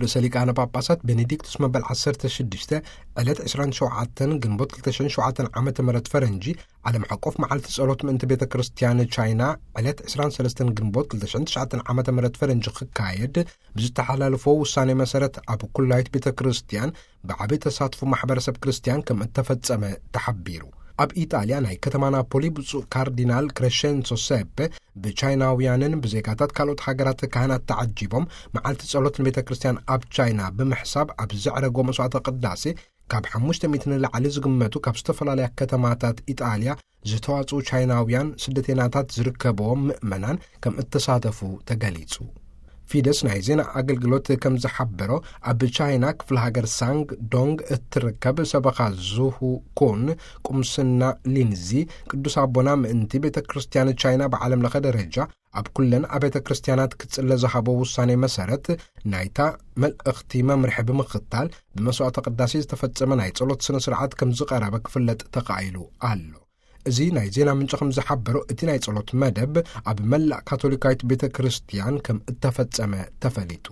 ርእሰ ሊቃነ ጳጳሳት ቤኔዲክቱስ መበል ዓሰርተ ሽዱሽተ ዕለት ዕስራን ሸውዓተን ግንቦት ክልተ ሽሕን ሸውዓተን ዓመተ ምህረት ፈረንጂ ዓለም ዓቀፍ መዓልቲ ጸሎት ምእንቲ ቤተ ክርስቲያን ቻይና ዕለት ዕስራን ሰለስተን ግንቦት ክልተ ሽሕን ትሽዓተን ዓመተ ምህረት ፈረንጂ ክካየድ ብዝተሓላለፎ ውሳኔ መሰረት ኣብ ኩላይት ቤተ ክርስቲያን ብዓቢ ተሳትፎ ማሕበረሰብ ክርስቲያን ከም እተፈጸመ ተሓቢሩ። ኣብ ኢጣልያ ናይ ከተማ ናፖሊ ብፁዕ ካርዲናል ክሬሸንሶ ሴፔ ብቻይናውያንን ብዜጋታት ካልኦት ሃገራት ካህናት ተዓጂቦም መዓልቲ ጸሎት ንቤተ ክርስቲያን ኣብ ቻይና ብምሕሳብ ኣብ ዘዕረጎ መስዋዕተ ቅዳሴ ካብ ሓሙሽተ ሚእቲ ንላዕሊ ዝግመቱ ካብ ዝተፈላለያ ከተማታት ኢጣልያ ዝተዋጽኡ ቻይናውያን ስደተይናታት ዝርከብዎም ምእመናን ከም እተሳተፉ ተገሊጹ። ፊደስ ናይ ዜና ኣገልግሎት ከም ዝሓበሮ ኣብ ቻይና ክፍለ ሃገር ሳንግ ዶንግ እትርከብ ሰበኻ ዙሁ ኮን ቁምስና ሊንዚ ቅዱስ ኣቦና ምእንቲ ቤተ ክርስቲያን ቻይና ብዓለም ለኸ ደረጃ ኣብ ኩለን ኣብያተ ክርስቲያናት ክጽለ ዝሃቦ ውሳኔ መሰረት ናይታ መልእኽቲ መምርሒ ብምኽታል ብመስዋዕተ ቅዳሴ ዝተፈጸመ ናይ ጸሎት ስነ ስርዓት ከም ዝቐረበ ክፍለጥ ተኻኢሉ ኣሎ። እዚ ናይ ዜና ምንጭ ከም ዝሓበሮ እቲ ናይ ጸሎት መደብ ኣብ መላእ ካቶሊካዊት ቤተ ክርስቲያን ከም እተፈጸመ ተፈሊጡ።